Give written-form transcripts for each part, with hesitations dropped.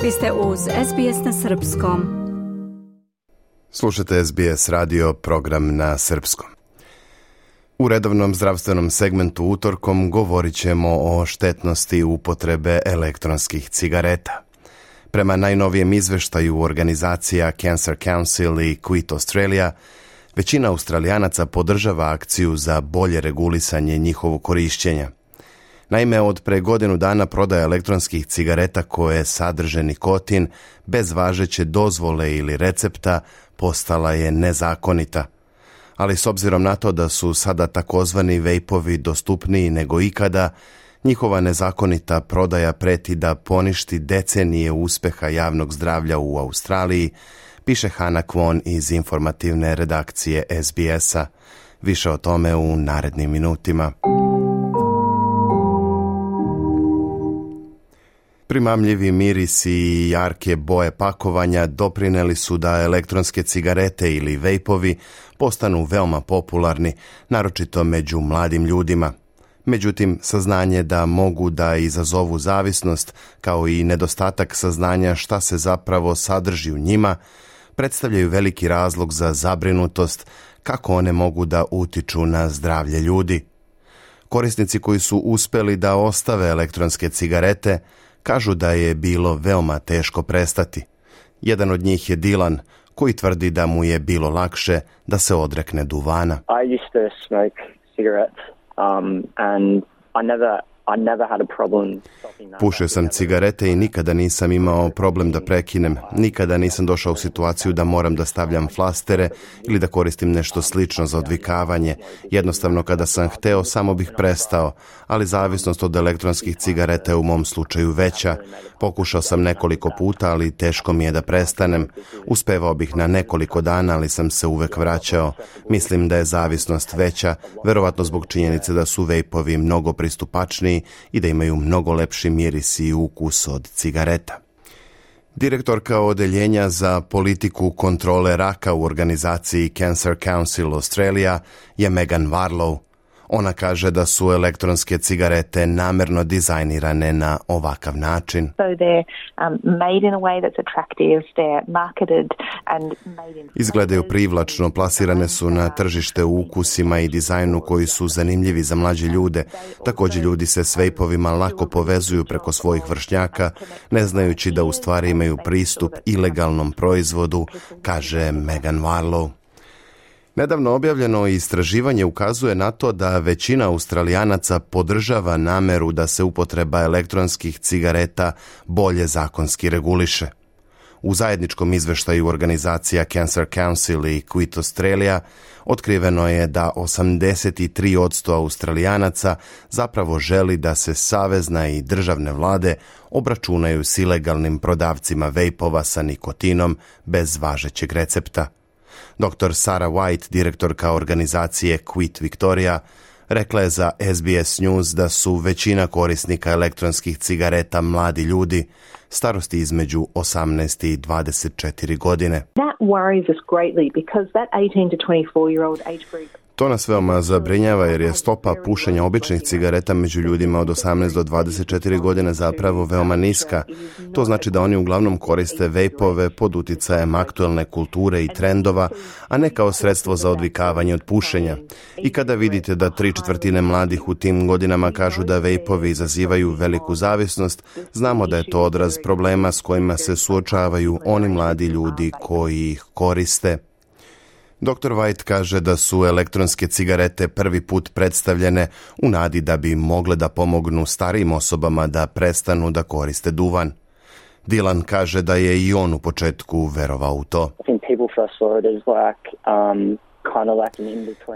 Vi ste uz SBS na srpskom. Slušate SBS radio, program na srpskom. U redovnom zdravstvenom segmentu utorkom govorit ćemo o štetnosti upotrebe elektronskih cigareta. Prema najnovijem izveštaju organizacija Cancer Council i Quit Australia, većina Australijanaca podržava akciju za bolje regulisanje njihovog korišćenja. Naime, od pre godinu dana prodaja elektronskih cigareta koje sadrže nikotin bez važeće dozvole ili recepta postala je nezakonita. Ali s obzirom na to da su sada takozvani vejpovi dostupniji nego ikada, njihova nezakonita prodaja preti da poništi decenije uspeha javnog zdravlja u Australiji, piše Hannah Kwon iz informativne redakcije SBS-a. Više o tome u narednim minutima. Primamljivi mirisi i jarke boje pakovanja doprineli su da elektronske cigarete ili vejpovi postanu veoma popularni, naročito među mladim ljudima. Međutim, saznanje da mogu da izazovu zavisnost, kao i nedostatak saznanja šta se zapravo sadrži u njima, predstavljaju veliki razlog za zabrinutost kako one mogu da utiču na zdravlje ljudi. Korisnici koji su uspeli da ostave elektronske cigarete kažu da je bilo veoma teško prestati. Jedan od njih je Dylan, koji tvrdi da mu je bilo lakše da se odrekne duvana. I used to smoke cigarettes and I never had a problem. Pušio sam cigarete i nikada nisam imao problem da prekinem. Nikada nisam došao u situaciju da moram da stavljam flastere ili da koristim nešto slično za odvikavanje. Jednostavno, kada sam hteo, samo bih prestao, ali zavisnost od elektronskih cigareta je u mom slučaju veća. Pokušao sam nekoliko puta, ali teško mi je da prestanem. Uspevao bih na nekoliko dana, ali sam se uvek vraćao. Mislim da je zavisnost veća, verovatno zbog činjenice da su vejpovi mnogo pristupačniji i da imaju mnogo lepši miris i ukus od cigareta. Direktorka odeljenja za politiku kontrole raka u organizaciji Cancer Council Australia je Megan Warlow. Ona kaže da su elektronske cigarete namerno dizajnirane na ovakav način. Izgledaju privlačno, plasirane su na tržište u ukusima i dizajnu koji su zanimljivi za mlađe ljude. Također ljudi se s vejpovima lako povezuju preko svojih vršnjaka, ne znajući da u stvari imaju pristup ilegalnom proizvodu, kaže Megan Warlow. Nedavno objavljeno istraživanje ukazuje na to da većina Australijanaca podržava nameru da se upotreba elektronskih cigareta bolje zakonski reguliše. U zajedničkom izveštaju organizacija Cancer Council i Quit Australia otkriveno je da 83% Australijanaca zapravo želi da se savezna i državne vlade obračunaju s ilegalnim prodavcima vejpova sa nikotinom bez važećeg recepta. Dr. Sarah White, direktorka organizacije Quit Victoria, rekla je za SBS News da su većina korisnika elektronskih cigareta mladi ljudi, starosti između 18 i 24 godine. That worries us greatly because that 18 to 24-year-old age group. To nas veoma zabrinjava jer je stopa pušenja običnih cigareta među ljudima od 18 do 24 godine zapravo veoma niska. To znači da oni uglavnom koriste vejpove pod uticajem aktuelne kulture i trendova, a ne kao sredstvo za odvikavanje od pušenja. I kada vidite da 3/4 mladih u tim godinama kažu da vejpovi izazivaju veliku zavisnost, znamo da je to odraz problema s kojima se suočavaju oni mladi ljudi koji ih koriste. Dr. White kaže da su elektronske cigarete prvi put predstavljene u nadi da bi mogle da pomognu starijim osobama da prestanu da koriste duvan. Dylan kaže da je i on u početku verovao u to.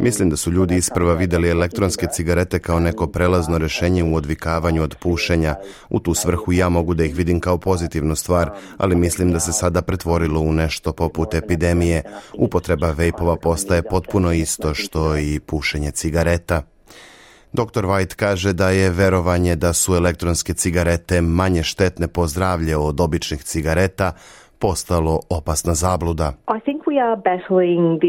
Mislim da su ljudi isprva vidjeli elektronske cigarete kao neko prelazno rješenje u odvikavanju od pušenja. U tu svrhu ja mogu da ih vidim kao pozitivnu stvar, ali mislim da se sada pretvorilo u nešto poput epidemije. Upotreba vejpova postaje potpuno isto što i pušenje cigareta. Dr. White kaže da je verovanje da su elektronske cigarete manje štetne po zdravlje od običnih cigareta postalo opasna zabluda. I think we are battling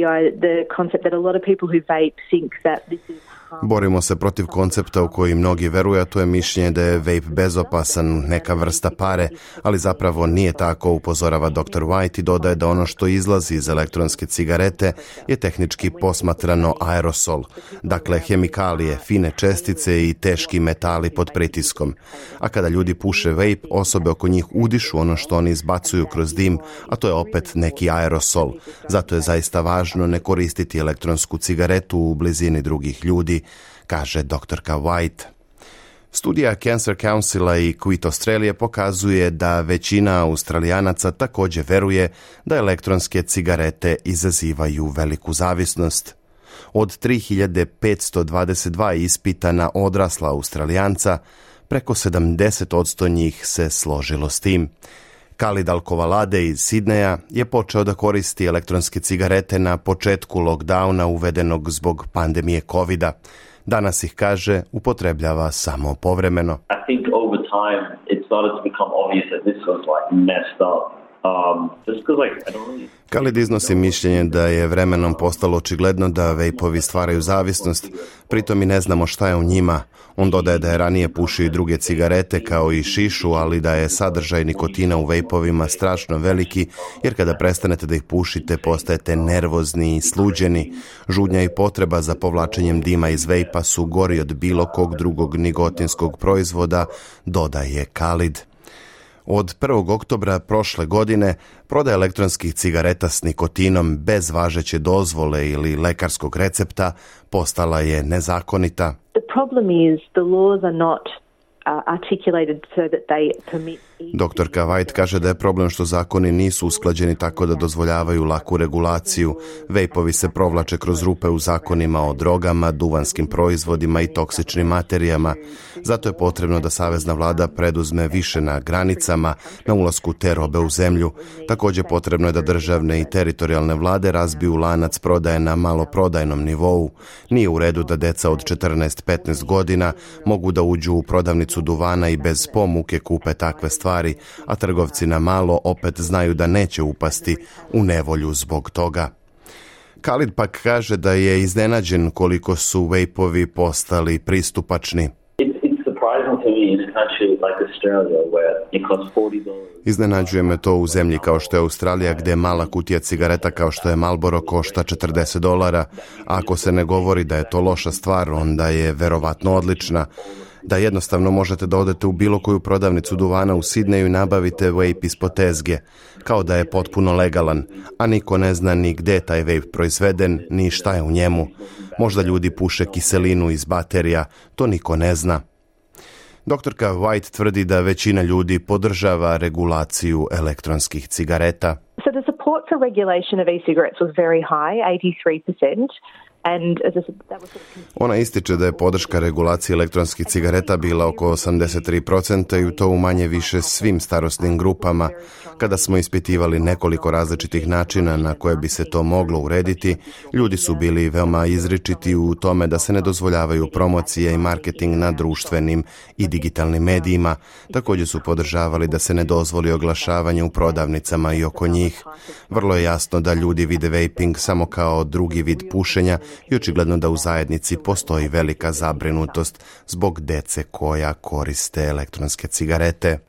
the concept that a lot of people who vape think that this is Borimo se protiv koncepta u koji mnogi veruju, a to je mišljenje da je vape bezopasan, neka vrsta pare, ali zapravo nije tako, upozorava dr. White i dodaje da ono što izlazi iz elektronske cigarete je tehnički posmatrano aerosol, dakle hemikalije, fine čestice i teški metali pod pritiskom. A kada ljudi puše vape, osobe oko njih udišu ono što oni izbacuju kroz dim, a to je opet neki aerosol. Zato je zaista važno ne koristiti elektronsku cigaretu u blizini drugih ljudi, kaže doktorka White. Studija Cancer Councila i Quit Australia pokazuje da većina Australijanaca također veruje da elektronske cigarete izazivaju veliku zavisnost. Od 3522 ispitana odrasla Australijanca, preko 70% njih se složilo s tim. Khalid Al-Kovalade iz Sidneja je počeo da koristi elektronske cigarete na početku lockdowna uvedenog zbog pandemije covida. Danas ih, kaže, upotrebljava samo povremeno. I think over time it started to become obvious that this was messed up. Khalid iznosi mišljenje da je vremenom postalo očigledno da vejpovi stvaraju zavisnost, pritom i ne znamo šta je u njima. On dodaje da je ranije pušio i druge cigarete kao i šišu, ali da je sadržaj nikotina u vejpovima strašno veliki, jer kada prestanete da ih pušite postajete nervozni i sluđeni. Žudnja i potreba za povlačenjem dima iz vejpa su gori od bilo kog drugog nikotinskog proizvoda, dodaje Khalid. Od 1. oktobra prošle godine prodaja elektronskih cigareta s nikotinom bez važeće dozvole ili lekarskog recepta postala je nezakonita. The problem is the laws are not articulated so that they permit. Doktorka White kaže da je problem što zakoni nisu usklađeni tako da dozvoljavaju laku regulaciju. Vejpovi se provlače kroz rupe u zakonima o drogama, duvanskim proizvodima i toksičnim materijama. Zato je potrebno da savezna vlada preduzme više na granicama, na ulasku te robe u zemlju. Također potrebno je da državne i teritorijalne vlade razbiju lanac prodaje na maloprodajnom nivou. Nije u redu da deca od 14-15 godina mogu da uđu u prodavnicu duvana i bez pomuke kupe takve stvari, a trgovci na malo opet znaju da neće upasti u nevolju zbog toga. Khalid pak kaže da je iznenađen koliko su vejpovi postali pristupačni. Iznenađuje me to u zemlji kao što je Australija, gdje mala kutija cigareta kao što je Marlboro košta $40, a ako se ne govori da je to loša stvar, onda je verovatno odlična. Da jednostavno možete da odete u bilo koju prodavnicu duvana u Sidneju i nabavite vape ispod tezge, kao da je potpuno legalan, a niko ne zna ni gde je taj vape proizveden, ni šta je u njemu. Možda ljudi puše kiselinu iz baterija, to niko ne zna. Doktorka White tvrdi da većina ljudi podržava regulaciju elektronskih cigareta. So the support for regulation of e-cigarettes was very high, 83%. Ona ističe da je podrška regulaciji elektronskih cigareta bila oko 83% i to u manje više svim starosnim grupama. Kada smo ispitivali nekoliko različitih načina na koje bi se to moglo urediti, ljudi su bili veoma izričiti u tome da se ne dozvoljavaju promocije i marketing na društvenim i digitalnim medijima. Također su podržavali da se ne dozvoli oglašavanje u prodavnicama i oko njih. Vrlo je jasno da ljudi vide vaping samo kao drugi vid pušenja i očigledno da u zajednici postoji velika zabrinutost zbog dece koja koriste elektronske cigarete.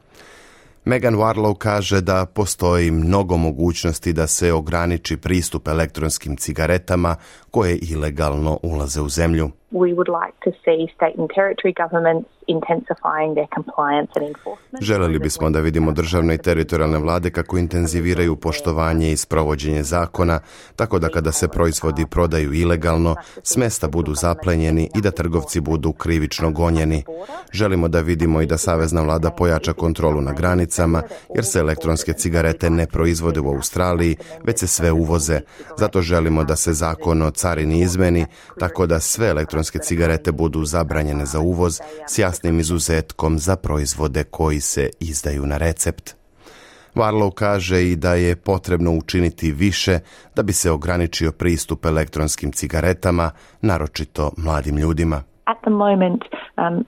Megan Warlow kaže da postoji mnogo mogućnosti da se ograniči pristup elektronskim cigaretama koje ilegalno ulaze u zemlju. We would like to see state and territory governments intensifying their compliance and enforcement. Želeli bismo da vidimo državne i teritorijalne vlade kako intenziviraju poštovanje i sprovođenje zakona, tako da kada se proizvodi prodaju ilegalno, s mesta budu zaplenjeni i da trgovci budu krivično gonjeni. Želimo da vidimo i da savezna vlada pojača kontrolu na granicama, jer se elektronske cigarete ne proizvode u Australiji, već se sve uvoze. Zato želimo da se zakon o carini izmeni, tako da sve elektronske cigarete budu zabranjene za uvoz s jasnim izuzetkom za proizvode koji se izdaju na recept. Warlow kaže i da je potrebno učiniti više da bi se ograničio pristup elektronskim cigaretama, naročito mladim ljudima. At the moment,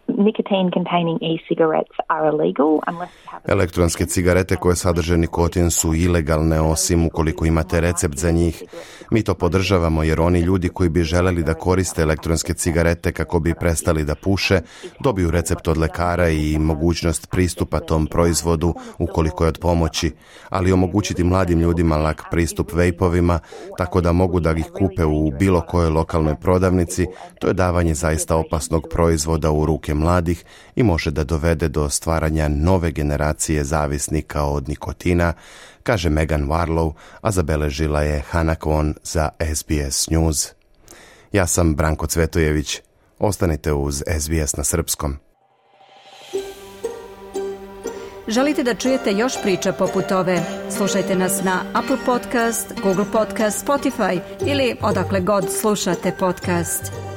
Nicotine-containing e-cigarettes are illegal unless you have... Elektronske cigarete koje sadrže nikotin su ilegalne osim ukoliko imate recept za njih. Mi to podržavamo jer oni ljudi koji bi želeli da koriste elektronske cigarete kako bi prestali da puše, dobiju recept od lekara i mogućnost pristupa tom proizvodu ukoliko je od pomoći, ali omogućiti mladim ljudima lak pristup vejpovima tako da mogu da ih kupe u bilo kojoj lokalnoj prodavnici, to je davanje zaista opasnog proizvoda u ruke mladih i može da dovede do stvaranja nove generacije zavisnika od nikotina, kaže Megan Warlow, a zabeležila je Hana Kwon za SBS News. Ja sam Branko Cvetojević. Ostanite uz SBS na srpskom. Želite da čujete još priča poput ove? Slušajte nas na Apple Podcast, Google Podcast, Spotify ili odakle god slušate podcast.